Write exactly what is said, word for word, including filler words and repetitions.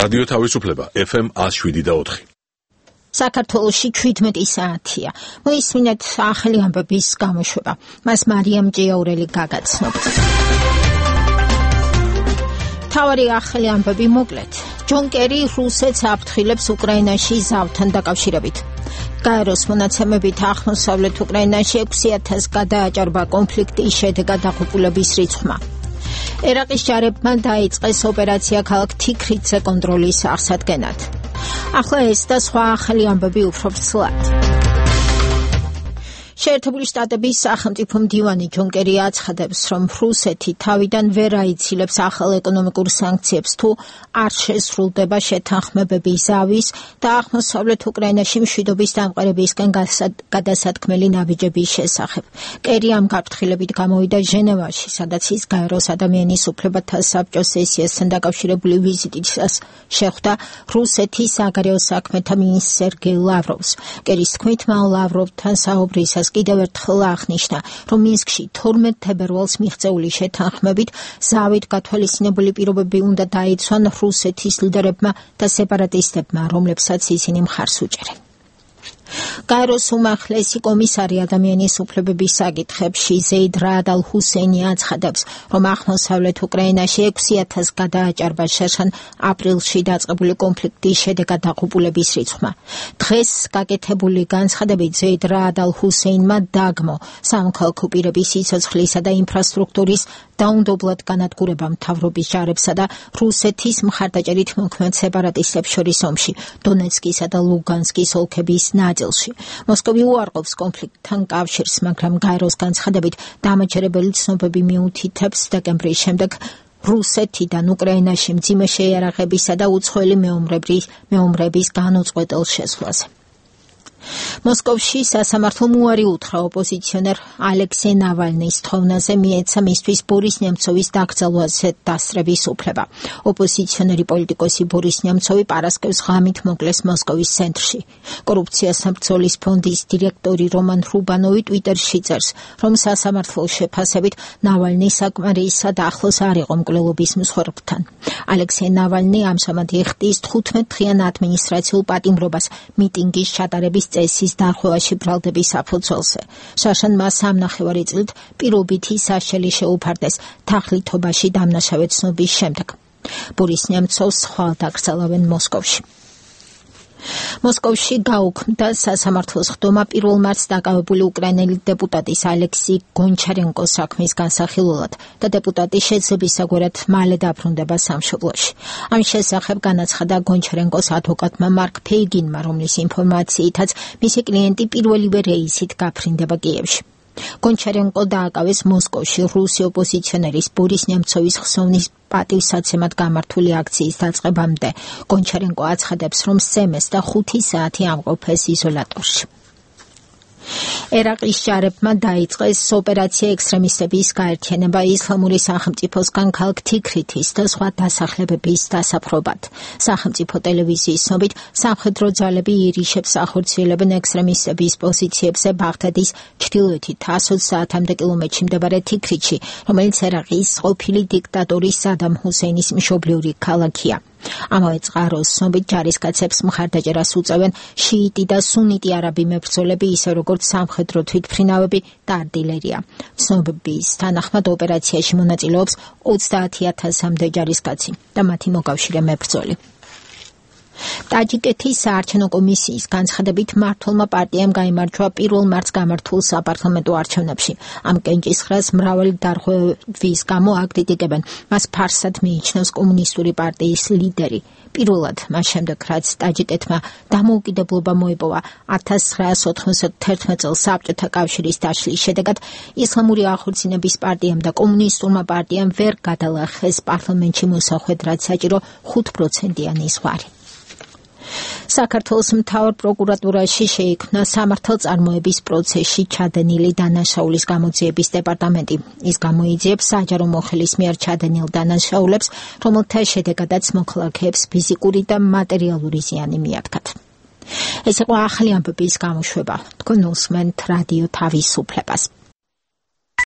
რადიო თავისუფლება ეფ ემ one oh seven და four. საქართველოში ჩვიდმეტი საათია. მოისმინეთ ახალი ამბების გამოშვება. მას მარიამ ჭიაურელი გაგაცნობთ. თავარი ახალი ამბები მოკლედ. ჯონ კერი რუსეთს აფრთხილებს უკრაინაში ზავთან დაკავშირებით. გაეროს მონაცემებით აღმოსავლეთ უკრაინაში ექვსი ათასს გადააჭარბა კონფლიქტის შედეგად დაღუპულების რიცხვმა. ერაყის ჯარებმა დაიწყეს ოპერაცია ქალაქ თიქრიცზე კონტროლის აღსადგენად. ახლა ეს და სხვა ახალი ამბები უფრო ვრცლად. შეერთებული შტატების სახელმწიფო მდივანი ჯონ კერი აცხადებს, რომ რუსეთი თავიდან ვერ აიცილებს ახალ ეკონომიკურ სანქციებს თუ არ შესრულდება შეთანხმებები ზავის და აღმოსავლეთ უკრაინაში მშვიდობის დამყარებისკენ გადასათქმელი ნაბიჯების შესახებ. კერი ამ გაფრთხილებით გამოვიდა ჟენევაში, სადაც ის გაეროს ადამიანის უფლებათა საბჭოს სესიასთან დაკავშირებული ვიზიტისას შეხვდა რუსეთის საგარეო საქმეთა მინისტრ სერგეი ლავროვს. კერის თქმით, მან ლავროვთან საუბრისას კიდევ ერთხელ აღნიშნა, რომ მინსკში თორმეტ თებერვალს მიღწეული შეთანხმებით ზავით გათვალისწინებული პირობები უნდა დაიცვან რუსეთის ლიდერებმა და სეპარატისტებმა, რომლებსაც ისინი მხარს უჭერენ. გაეროს უმაღლესი კომისარი ადამიანის უფლებების საკითხებში ზეიდ რაად ალ ჰუსეინი აცხადებს, რომ აღმოსავლეთ უკრაინაში ექვსი ათასს გადააჭარბა შერშან აპრილში დაწყებული კონფლიქტის შედეგად დაღუპულების რიცხვმა. დღეს გაკეთებული განცხადებით ზეიდ რაად ალ ჰუსეინმა დაგმო სამოქალაქო პირების სიცოცხლისა და ინფრასტრუქტურის დაუნდობლად განადგურება მთავრობის ჯარებსა და რუსეთის მხარდაჭერით მოქმედ სეპარატისტებს შორის ომში დონეცკისა და ლუგანსკის ოლქების ნაწილში. მოსკოვი უარყოფს კონფლიქტთან კავშირს, მაგრამ გაეროს განცხადებით დამაჯერებელი ცნობები მიუთითებს დეკემბრის შემდეგ რუსეთიდან უკრაინაში მძიმე შეიარაღებისა და უცხოელი მეომრების განუწყვეტელ შესვლაზე. მოსკოვში სასამართლომ უარი უთხრა ოპოზიციონერ ალექსეი ნავალნის თხოვნაზე მიეცა მისთვის ბორის ნემცოვის დაკრძალვაზე დასწრების უფლება. ოპოზიციონერი პოლიტიკოსი ბორის ნემცოვი პარასკევს ღამით მოკლეს მოსკოვის ცენტრში. კორუფციასთან ბრძოლის ფონდის დირექტორი რომან რუბანოვი ტვიტერში წერს, რომ სასამართლოს შეფასებით ნავალნი საკმარისად ახლოს არ იყო მკვლელობის მსხვერპლთან. ალექსეი ნავალნი ამჟამად იხდის თხუთმეტ დღიან ადმინისტრაციულ პატიმრობას მიტინგის ჩატარების წესის დარღვევაში ბრალდების საფუძველზე. შარშან მას სამნახევარი წლით პირობითი საშელი შეუფარდეს თაღლითობაში დამნაშავე ცნობის შემდეგ. ბორის ნემცოვს ხვალ დაკრძალავენ მოსკოვში. მოსკოვში გაუქმდა სასამართლოს ხდომა პირველ მარტს დაკავებული უკრაინელი დეპუტატის ალექსი გონჩარენკოს საქმის განსახილველად და დეპუტატი შეძლებისაგვარად მალე დაბრუნდება სამშობლოში. ამ შესახებ განაცხადა გონჩარენკოს ადვოკატმა მარკ ფეიგინმა, რომლის ინფორმაციითაც მისი კლიენტი პირველივე რეისით გაფრინდება კიევში. გონჩარენკო დააკავეს მოსკოვში რუსი ოპოზიციონერის ბორის ნემცოვის ხსოვნის პატივსაცემად გამართული აქციის დაწყებამდე. გონჩარენკო აცხადებს, რომ სემეს და ხუთი საათი ამყოფეს იზოლატორში. ერაყის ჯარებმა დაიწყეს ოპერაცია ექსტრემისტების გაერთიანება ისლამური სახელმწიფოსგან ქალაქ თიქრითის და სხვა დასახლებების დასაფრობად. სახელმწიფო ტელევიზიის ცნობით, სამხედრო ძალები ირიშებს ახორციელებენ ექსტრემისტების პოზიციებზე ბაღდადის ჩრდილოეთით ათი საათამდე კილომეტრში მდებარე თიქრითში, რომელიც ერაყის ყოფილი დიქტატორის სადამ ჰუსეინის მშობლიური ქალაქია. ამავე წყაროს ცნობით ჯარისკაცებს მხარდაჭერას უწევენ შიიტი და სუნიტი არაბი მებრძოლები, ისე როგორც სამხედრო თვითმფრინავები და არტილერია. ცნობების თანახმად ოპერაციაში მონაწილეობს ოცდაათი ათასამდე ჯარისკაცი და მათი მოკავშირე მებრძოლი. ტაჯიკეთის საარჩევნო კომისიის განცხადებით მმართველმა პარტიამ გაიმარჯვა პირველ მარტს გამართულ საპარლამენტო არჩევნებში. ამ კენჭისყრას მრავალი დარღვევის გამო აკრიტიკებენ. მას ფარსად მიიჩნევს კომუნისტური პარტიის ლიდერი. პირველად მას შემდეგ, რაც ტაჯიკეთმა დამოუკიდებლობა მოიპოვა ათას ცხრაასი ოთხმოცდათერთმეტ წელს საბჭოთა კავშირის დაშლის შედეგად, ისლამური აღორძინების პარტიამ და კომუნისტურმა პარტიამ ვერ გადალახეს პარლამენტში მოსახვედ, რაც საჭირო ხუთ პროცენტიანი ზღვარი. საქართველოს მთავარ პროკურატურაში შეიქმნა სამართალწარმოების პროცესში ჩადენილი დანაშაულის გამოძიების დეპარტამენტი. ის გამოიძიებს საჯარო მოხელის მიერ ჩადენილ დანაშაულებს, რომელთა შედეგადაც მოქალაქეებს ფიზიკური და მატერიალური ზიანი მიადგათ. ეს იყო ახალი ამბების გამოშვება. თქვენ უსმენთ რადიო თავისუფლებას.